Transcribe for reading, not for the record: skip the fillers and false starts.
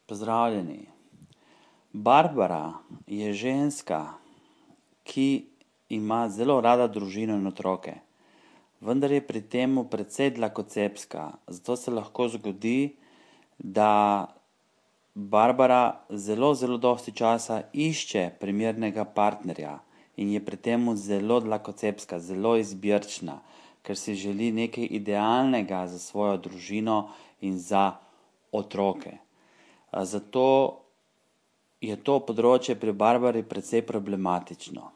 Pozdravljeni. Barbara je ženska, ki ima zelo rada družino in otroke, vendar je pri tem precej dlakocepska. Zato se lahko zgodi, da Barbara zelo dosti časa išče primernega partnerja in je pri tem zelo dlakocepska, zelo izbirčna, ker si želi nekaj idealnega za svojo družino in za otroke. Zato je to področje pri Barbari precej problematično.